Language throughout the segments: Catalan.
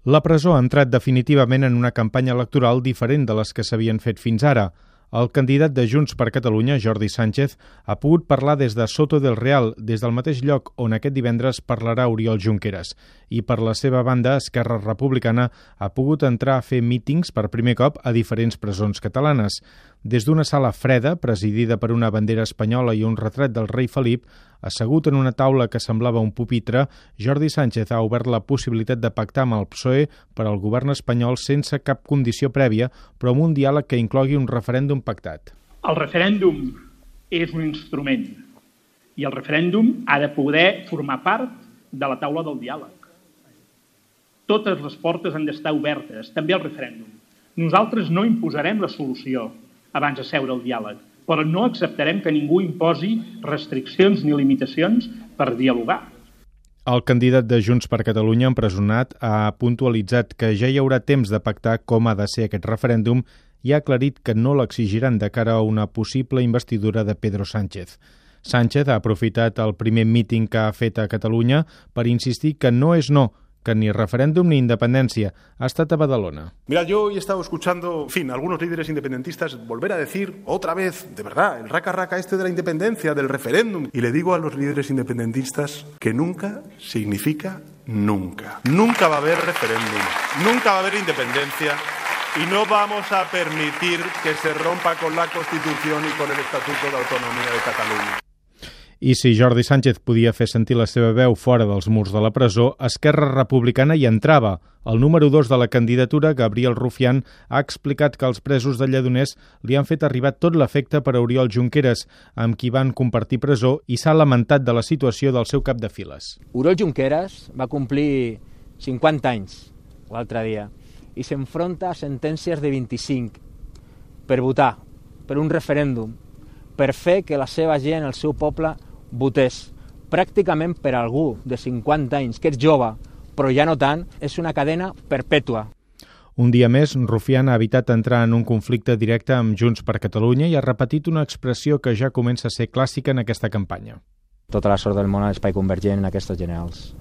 La presó ha entrat definitivament en una campanya electoral diferent de les que s'havien fet fins ara. El candidat de Junts per Catalunya, Jordi Sánchez, ha pogut parlar des de Soto del Real, des del mateix lloc on aquest divendres parlarà Oriol Junqueras. I per la seva banda, Esquerra Republicana ha pogut entrar a fer mítings per primer cop a diferents presons catalanes. Des d'una sala freda, presidida per una bandera espanyola i un retrat del rei Felip, assegut en una taula que semblava un pupitre, Jordi Sánchez ha obert la possibilitat de pactar amb el PSOE per al govern espanyol sense cap condició prèvia, però amb un diàleg que inclogui un referèndum pactat. El referèndum és un instrument i el referèndum ha de poder formar part de la taula del diàleg. Totes les portes han d'estar obertes, també el referèndum. Nosaltres no imposarem la solució abans de seure al diàleg, però no acceptarem que ningú imposi restriccions ni limitacions per dialogar. El candidat de Junts per Catalunya, empresonat, ha puntualitzat que ja hi haurà temps de pactar com ha de ser aquest referèndum i ha aclarit que no l'exigiran de cara a una possible investidura de Pedro Sánchez. Sánchez ha aprofitat el primer míting que ha fet a Catalunya per insistir que no és no, que ni referéndum ni independencia. Ha estat a Badalona. Mira, yo he estado escuchando, en fin, a algunos líderes independentistas volver a decir otra vez, de verdad, el raca-raca este de la independencia, del referéndum. Y le digo a los líderes independentistas que nunca significa nunca. Nunca va a haber referéndum, nunca va a haber independencia y no vamos a permitir que se rompa con la Constitución y con el Estatuto de Autonomía de Catalunya. I si Jordi Sánchez podia fer sentir la seva veu fora dels murs de la presó, Esquerra Republicana hi entrava. El número 2 de la candidatura, Gabriel Rufián, ha explicat que els presos de Lledoners li han fet arribar tot l'afecte per a Oriol Junqueras, amb qui van compartir presó, i s'ha lamentat de la situació del seu cap de files. Oriol Junqueras va complir 50 anys l'altre dia i s'enfronta a sentències de 25 per votar, per un referèndum, per fer que la seva gent, el seu poble, votés. Pràcticament per algú de 50 anys, que és jove, però ja no tant, és una cadena perpètua. Un dia més, Rufián ha evitat entrar en un conflicte directe amb Junts per Catalunya i ha repetit una expressió que ja comença a ser clàssica en aquesta campanya. Tota la sort del món a l'espai convergent en aquestes generals.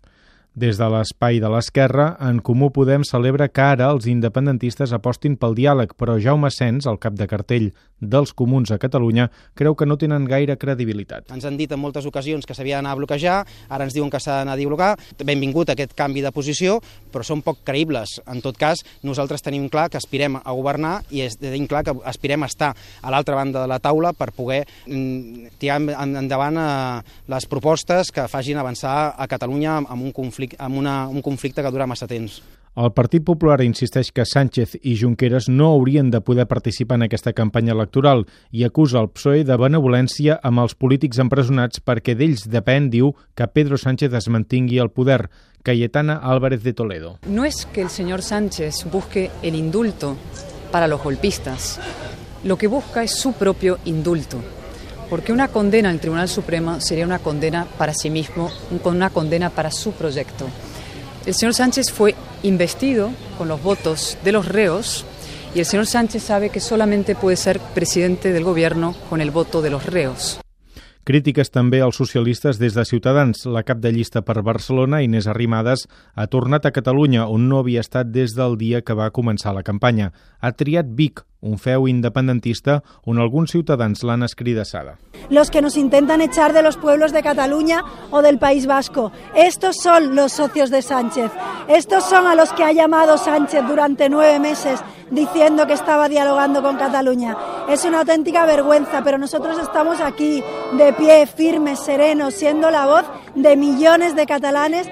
Des de l'espai de l'Esquerra, En Comú Podem celebra que ara els independentistes apostin pel diàleg, però Jaume Sens, el cap de cartell dels Comuns a Catalunya, creu que no tenen gaire credibilitat. Ens han dit en moltes ocasions que s'havia d'anar a bloquejar, ara ens diuen que s'ha d'anar a dialogar. Benvingut aquest canvi de posició, però són poc creïbles. En tot cas, nosaltres tenim clar que aspirem a governar i tenim clar que aspirem a estar a l'altra banda de la taula per poder tirar endavant les propostes que facin avançar a Catalunya amb un conflicte que dura massa temps. El Partit Popular insisteix que Sánchez i Junqueras no haurien de poder participar en aquesta campanya electoral i acusa el PSOE de benevolència amb els polítics empresonats perquè d'ells depèn, diu, que Pedro Sánchez es mantingui al poder. Cayetana Álvarez de Toledo. No es que el señor Sánchez busque el indulto para los golpistas. Lo que busca es su propio indulto. Porque una condena al Tribunal Supremo sería una condena para sí mismo, una condena para su proyecto. El señor Sánchez fue investido con los votos de los reos y el señor Sánchez sabe que solamente puede ser presidente del gobierno con el voto de los reos. Crítiques també als socialistes des de Ciutadans. La cap de llista per Barcelona, Inés Arrimadas, ha tornat a Catalunya, on no havia estat des del dia que va començar la campanya. Ha triat Vic, un feu independentista on alguns ciutadans l'han escridassada. Los que nos intentan echar de los pueblos de Cataluña o del País Vasco. Estos son los socios de Sánchez. Estos son a los que ha llamado Sánchez durante 9 meses diciendo que estaba dialogando con Cataluña. Es una auténtica vergüenza, pero nosotros estamos aquí de pie, firmes, serenos, siendo la voz de millones de catalanes.